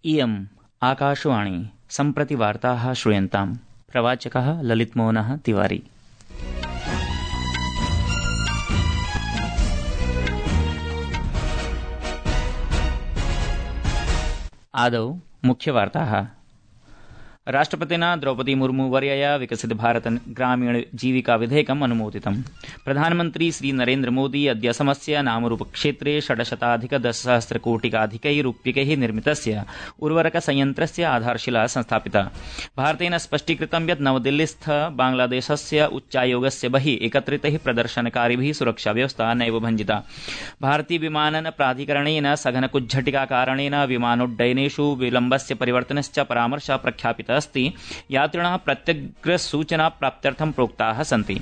इयम् आकाशवाणी सम्प्रति वार्ताः श्रूयन्ताम्। प्रवाचकः ललितमोहनः तिवारी। आदौ मुख्यवार्ताः। राष्ट्रपतिना द्रौपदी मुर्मू वर्यया विकसित भारत ग्रामीण जीविका विधेयकम् अनुमोदितम्। प्रधानमन्त्री श्री नरेन्द्र मोदी अद्य असमस्य नामरूप क्षेत्रे 610,000,000,000 रूप्यकैः निर्मितस्य उर्वरक संयन्त्रस्य आधारशिला संस्थापिता। भारतेन स्पष्टीकृतं यत् नवदिल्लीस्थ बांग्लादेशस्य उच्चायोगस्य बहिः एकत्रितैः प्रदर्शनकारिभिः सुरक्षाव्यवस्था नैव भञ्जिता। भारतीय विमानन प्राधिकरणेन सघनकुज्झटिकाकारणेन विमानोड्डयनेषु विलम्बस्य परिवर्तनश्च परामर्शः प्रख्यापितः अस्ति। यात्रिणः प्रत्यग्रसूचना प्राप्त्यर्थं प्रोक्ताः सन्ति।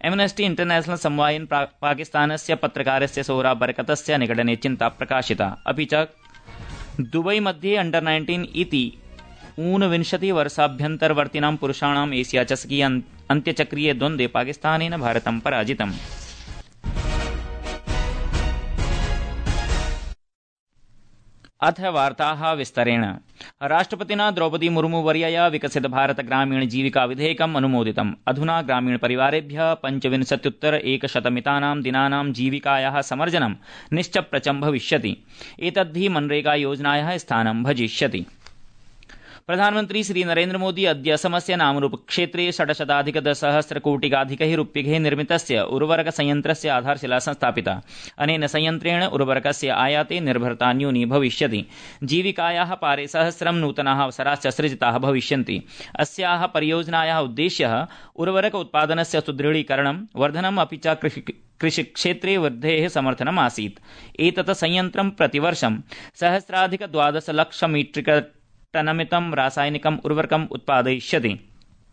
एम्नेस्टी इंटरनेशनल समवायेन पाकिस्तानस्य पत्रकारस्य सोहरा बरकतस्य निगडने चिन्ता प्रकाशिता। अपि च दुबई मध्ये अंडर 19 इति 29 वर्षाभ्यन्तरवर्तिनां पुरुषाणाम् एशिया चषकीय अन्त्यचक्रीये द्वन्द्वे पाकिस्तानेन भारतं पराजितम्। अथ वार्ताः विस्तरेण। राष्ट्रपतिना द्रौपदी मुर्मू वर्यया विकसित भारत ग्रामीण जीविका विधेयकम् अनुमोदितम्। अधुना ग्रामीण परिवारेभ्यः 25,100 दिनानां जीविकायाः समर्जनं निश्चप्रचं भविष्यति। एतद्धि मनरेगा योजनायाः स्थानं भजिष्यति। प्रधानमन्त्री श्री नरेन्द्र मोदी अद्य असमस्य नामरूप क्षेत्रे 610,000,000,000 रूप्यकैः निर्मितस्य उर्वरक संयन्त्रस्य आधारशिला संस्थापिता। अनेन संयन्त्रेण उर्वरकस्य आयाते निर्भरता न्यूनी भविष्यति। जीविकायाः पारे 1,000 नूतनाः अवसराश्च सृजिताः भविष्यन्ति। अस्याः परियोजनायाः उद्देश्यः उर्वरक उत्पादनस्य सुदृढीकरणं, वर्धनम् अपि च कृषिक्षेत्रे वृद्धेः समर्थनम् आसीत्। एतत् संयन्त्रं प्रतिवर्षं 1,012,00,000 मीट्रिक टनमितं रासायनिकम् उर्वरकम् उत्पादयिष्यति।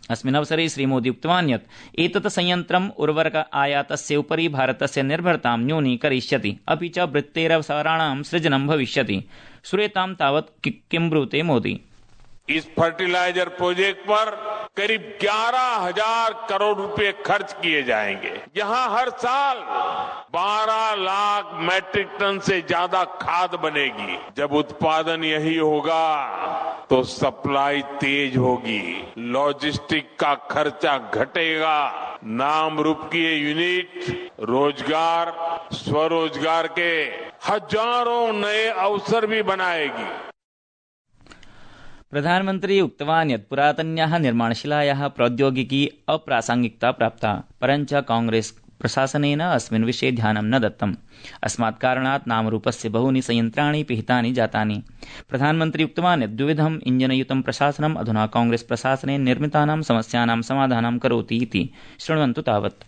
अस्मिन् अवसरे श्रीमोदी उक्तवान् यत् एतत् संयन्त्रम् उर्वरक आयातस्य उपरि भारतस्य निर्भरतां न्यूनीकरिष्यति, अपि च वृत्तेरवसराणां सृजनं भविष्यति। श्रूयतां तावत् किं ब्रूते मोदी। इस फर्टिलाइजर प्रोजेक्ट पर करीब 11,000 करोड़ रुपए खर्च किए जाएंगे। यहां हर साल 12 लाख मैट्रिक टन से ज्यादा खाद बनेगी। जब उत्पादन यही होगा तो सप्लाई तेज होगी, लॉजिस्टिक का खर्चा घटेगा, नाम रूप की ये यूनिट रोजगार, स्वरोजगार के हजारों नए अवसर भी बनाएगी। प्रधानमन्त्री उक्तवान् यत् पुरातन्याः निर्माणशिलायाः प्रौद्योगिकी अप्रासंगिकता प्राप्ता, परञ्च कांग्रेस प्रशासनेन अस्मिन् विषये ध्यानं न दत्तम्। अस्मात् कारणात् नामरूपस्य बहूनि संयन्त्राणि पिहितानि जातानि। प्रधानमन्त्री उक्तवान् यत् द्विविधम् इञ्जनयुतं प्रशासनम् अधुना कांग्रेस प्रशासनेन निर्मितानां समस्यानां समाधानं करोति इति। शृण्वन्तु तावत्।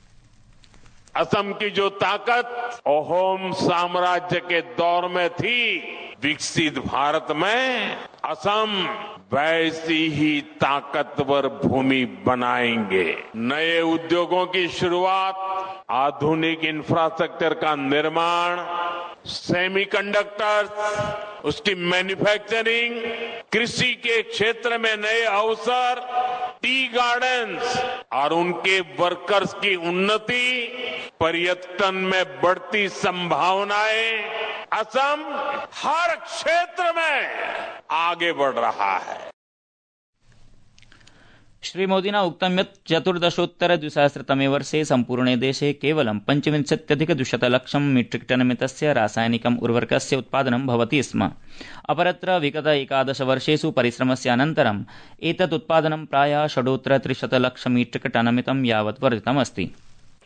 असम की जो ताकत अहोम साम्राज्य के दौर में थी, विकसित भारत में असम वैसी ही ताकतवर भूमि बनाएंगे। नए उद्योगों की शुरुआत, आधुनिक इंफ्रास्ट्रक्चर का निर्माण, सेमीकंडक्टर्स, उसकी मैन्युफैक्चरिंग, कृषि के क्षेत्र में नए अवसर, टी गार्डन्स और उनके वर्कर्स की उन्नति, पर्यटन में बढ़ती संभावनाएं, असम हर क्षेत्र में आगे बढ़ रहा है। श्रीमोदिना उक्तं यत् 14,200 वर्षे सम्पूर्णे देशे केवलं 25,200,00,000 मीट्रिक टनमितस्य रासायनिकम् उर्वरकस्य उत्पादनं भवति स्म। अपरत्र विगत 11 वर्षेषु परिश्रमस्य अनन्तरम् एतत् उत्पादनं प्रायः 6,300,00,000 मीट्रिक टनमितं यावत् वर्धितमस्ति।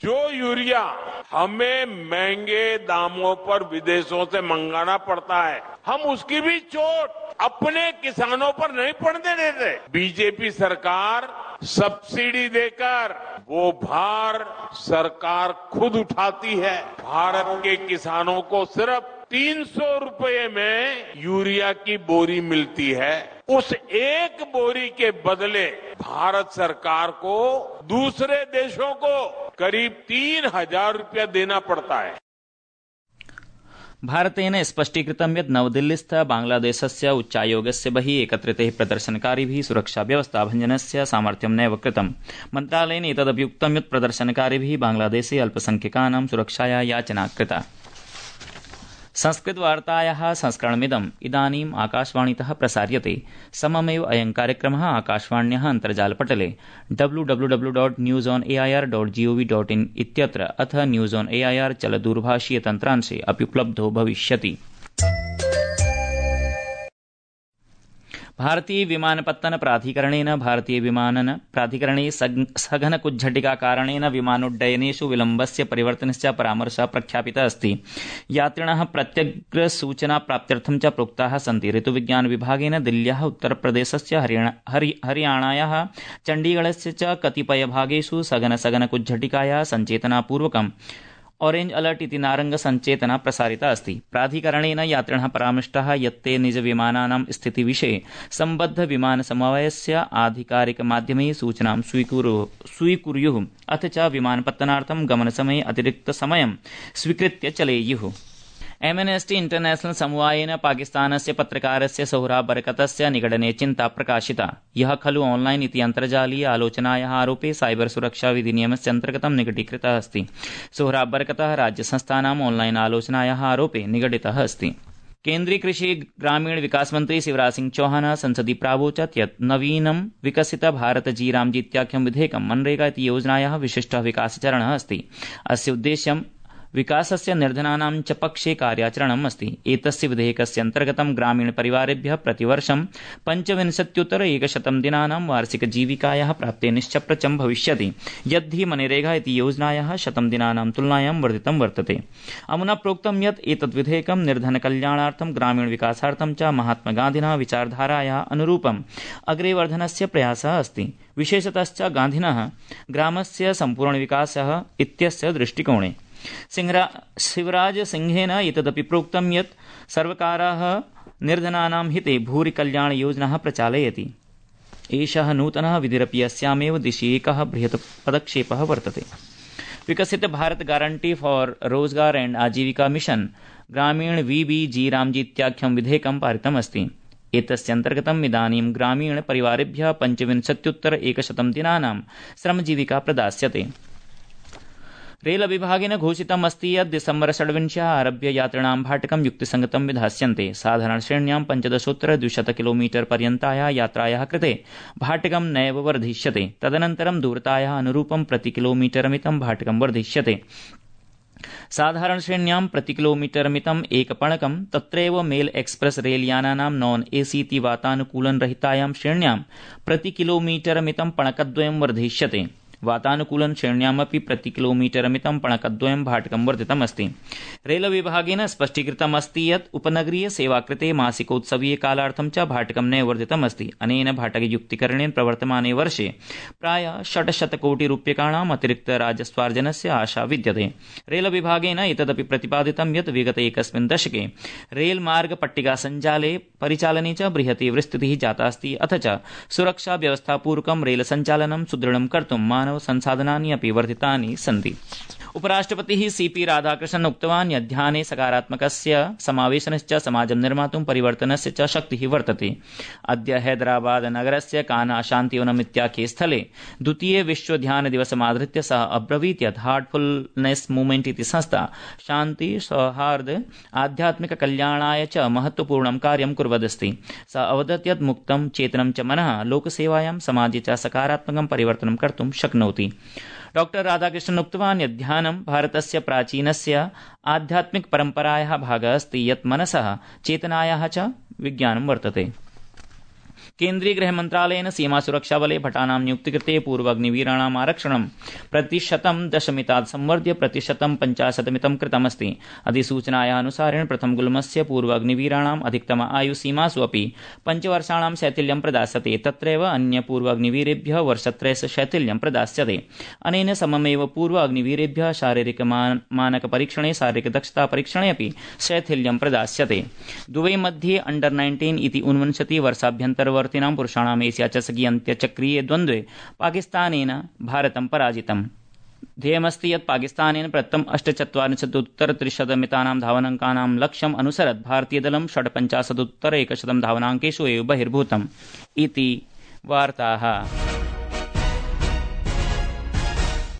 जो यूरिया हमें महंगे दामों पर विदेशों से मंगाना पड़ता है, हम उसकी भी चोट अपने किसानों पर नहीं पड़ने देते। बीजेपी सरकार सब्सिडी देकर वो भार सरकार खुद उठाती है। भारत के किसानों को सिर्फ 300 रुपये में यूरिया की बोरी मिलती है। उस एक बोरी के बदले भारत सरकार को दूसरे देशों को करीब 3,000 रुपया देना पड़ता है। भारतेन स्पष्टीकृतं यत् नवदिल्लीस्थ बांग्लादेशस्य उच्चायोगस्य बहिः एकत्रितैः प्रदर्शनकारिभिः सुरक्षाव्यवस्था भञ्जनस्य सामर्थ्यं नैव कृतम्। मन्त्रालयेन एतदपि उक्तं यत् प्रदर्शनकारिभिः बांग्लादेशे अल्पसंख्यकानां सुरक्षाया याचना कृता। संस्कृतवार्तायाः संस्करणमिदम् इदानीम् आकाशवाणीतः प्रसार्यते। सममेव अयं कार्यक्रमः आकाशवाण्याः अन्तर्जालपटले www.newsonair.gov.in इत्यत्र अथ न्यूज़ ऑन एआईआर चलदूरभाषीय तन्त्रांशे अपि उपलब्धो भविष्यति। भारतीय विमानपत्तन प्राधिकरणे सघन कुज्झटिका कारणेन विमानोड्डयनेषु विलम्बस्य परिवर्तनस्य परामर्शः प्रख्यापितः अस्ति। यात्रिणः प्रत्यग्रसूचना प्राप्त्यर्थं च प्रोक्ताः सन्ति। ऋतुविज्ञान विभागेन दिल्ल्याः, उत्तरप्रदेशस्य, हरियाणायाः, चण्डीगढस्य च कतिपयभागेषु सघन कुज्झटिकायाः सञ्चेतनापूर्वकं ऑरेंज अलर्ट इति नारंग संचेतना प्रसारिता अस्ति। प्राधिकरणेन यात्रिणः परामृष्टाः यत् ते निजविमानानां स्थितिविषये सम्बद्ध विमानसमवायस्य आधिकारिकमाध्यमैः सूचनां स्वीकुर्युः अथ च विमानपत्तनार्थं गमनसमये अतिरिक्तसमयं स्वीकृत्य चलेयुः। एमनेस्टी इंटरनेशनल समवायेन पाकिस्तानस्य पत्रकारस्य सोहराब बरकतस्य निगडने चिन्ता प्रकाशिता। यः खलु ऑनलाइन इति अन्तर्जालीय आलोचनायाः आरोपे साइबर सुरक्षा विधिनियमस्य अन्तर्गतं निगडीकृतः अस्ति। सोहराब बरकतः राज्यसंस्थानाम् ऑनलाइन आलोचनायाः आरोपे निगडितः अस्ति। केन्द्रीय कृषि ग्रामीण विकास मंत्री शिवराज सिंह चौहान संसदि प्रावोचत् यत् नवीनं विकसित भारत जी रामजी इत्याख्यं विधेयकं मनरेगा इति योजनायाः विशिष्टः विकासचरणः अस्ति। अस्य उद्देश्यं विकासस्य निर्धनानां च पक्षे कार्याचरणम् अस्ति। एतस्य विधेयकस्य अन्तर्गतं ग्रामीणपरिवारेभ्यः प्रतिवर्षं 25,100 दिनानां वार्षिकजीविकायाः प्राप्ते निश्चप्रचं भविष्यति, यद्धि मनरेगा इति योजनायाः 100 दिनानां तुलनायां वर्धितं वर्तते। अमुना प्रोक्तं यत् एतद् विधेयकं निर्धनकल्याणार्थं, ग्रामीणविकासार्थं च महात्मगान्धिनः विचारधारायाः अनुरूपम् अग्रे वर्धनस्य प्रयासः अस्ति। विशेषतश्च गान्धिनः ग्रामस्य सम्पूर्णविकासः इत्यस्य दृष्टिकोणे। शिवराज सिंहेन एतदपि प्रोक्तं यत् सर्वकारः निर्धनानां हिते भूरि कल्याण योजनाः प्रचालयति। एषः नूतनः विधिरपि अस्यामेव दिशि एकः बृहत् पदक्षेपः वर्तते। विकसित भारत गारंटी फॉर रोजगार एंड आजीविका मिशन ग्रामीण VBG रामजी इत्याख्यं विधेयकं पारितमस्ति। एतस्य अन्तर्गतम् इदानीं ग्रामीण परिवारेभ्यः 25,100 दिनानां श्रमजीविका प्रदास्यते। रेल विभागेन घोषितम् अस्ति यत् दिसम्बर 26 आरभ्य यात्रिणां भाटकं युक्तिसंगतं विधास्यन्ते। साधारणश्रेण्यां 15,200 किलोमीटर पर्यन्तायाः यात्रायाः कृते भाटकं नैव वर्धिष्यते। तदनन्तरं दूरतायाः अनुरूपं प्रति किलोमीटरमितं भाटकं वर्धिष्यते। साधारणश्रेण्यां प्रति किलोमीटरमितम् एकपणकं तत्रैव मेल एक्सप्रेस रेलयानानां नॉन AC इति वातानुकूलनरहितायां श्रेण्यां प्रति किलोमीटरमितं पणकद्वयं वर्धिष्यते। वातानुकूलन श्रेण्यामपि प्रति किलोमीटरमितं पणकद्वयं भाटकं वर्धितमस्ति। रेल विभागेन स्पष्टीकृतम् अस्ति यत् उपनगरीय सेवाकृते मासिकोत्सवीय कालार्थं च भाटकं नैव वर्धितमस्ति। अनेन भाटकयुक्तीकरणेन प्रवर्तमाने वर्षे प्रायः 600 कोटि रूप्यकाणाम् अतिरिक्त राजस्वार्जनस्य आशा विद्यते। रेल विभागेन एतदपि प्रतिपादितं यत् विगते एकस्मिन् दशके रेलमार्ग पट्टिका सञ्जाले परिचालने च बृहती विस्तृतिः जाता अस्ति। अथ च सुरक्षा व्यवस्थापूर्वकं रेल सञ्चालनं सुदृढं कर्तुं मानव संसाधनानि अपि वर्धितानि सन्ति। उपराष्ट्रपतिः CP राधाकृष्णन् उक्तवान् यत् ध्याने सकारात्मकस्य समावेशनश्च समाजं निर्मातुं परिवर्तनस्य च शक्तिः वर्तते। अद्य हैदराबाद नगरस्य काना शान्तिवनम् इत्याख्ये स्थले द्वितीय विश्व ध्यान दिवसमाधृत्य सः अब्रवीत् यत् हार्टफुलनेस मूवमेंट इति संस्था शान्ति, सौहार्द, आध्यात्मिक कल्याणाय च महत्वपूर्णं कार्यं कुर्वदस्ति। सः अवदत् यत् मुक्तं चेतनं च मनः लोकसेवायां समाजे च सकारात्मकं परिवर्तनं कर्तुं शक्नोति। डॉक्टर राधाकृष्णन् उक्तवान् यत् ध्यानं भारतस्य प्राचीनस्य आध्यात्मिक परम्परायाः भागः अस्ति, यत् मनसः चेतनायाः च विज्ञानं वर्तते। केन्द्रीय गृहमन्त्रालयेन सीमासुरक्षाबले भटानां नियुक्तिकृते पूर्वाग्निवीराणाम् आरक्षणं 10% संवर्ध्य 50% कृतमस्ति। अधिसूचनायाः अनुसारेण प्रथमगुल्मस्य पूर्वाग्निवीराणाम् अधिकतम आयुसीमासु अपि 5 वर्षाणां शैथिल्यं प्रदास्यते। तत्रैव अन्य पूर्वाग्निवीरेभ्यः वर्षत्रयस्य शैथिल्यं प्रदास्यते। अनेन सममेव पूर्वाग्निवीरेभ्यः शारीरिक मानक परीक्षणे, शारीरिक दक्षता परीक्षणे अपि शैथिल्यं प्रदास्यते। दुबई मध्ये अंडर 19 इति 29 वर्षाभ्यन्तरवर्तिनां पुरुषाणाम् एशिया चषकीय अन्त्यचक्रीय द्वन्द्वे पाकिस्तानेन भारतं पराजितम्। ध्येयमस्ति यत् पाकिस्तानेन प्रथम 48,300 धावनाङ्कानां लक्ष्यम् अनुसरत् भारतीयदलं 58,100 धावनाङ्केषु एव बहिर्भूतम् इति वार्ताः।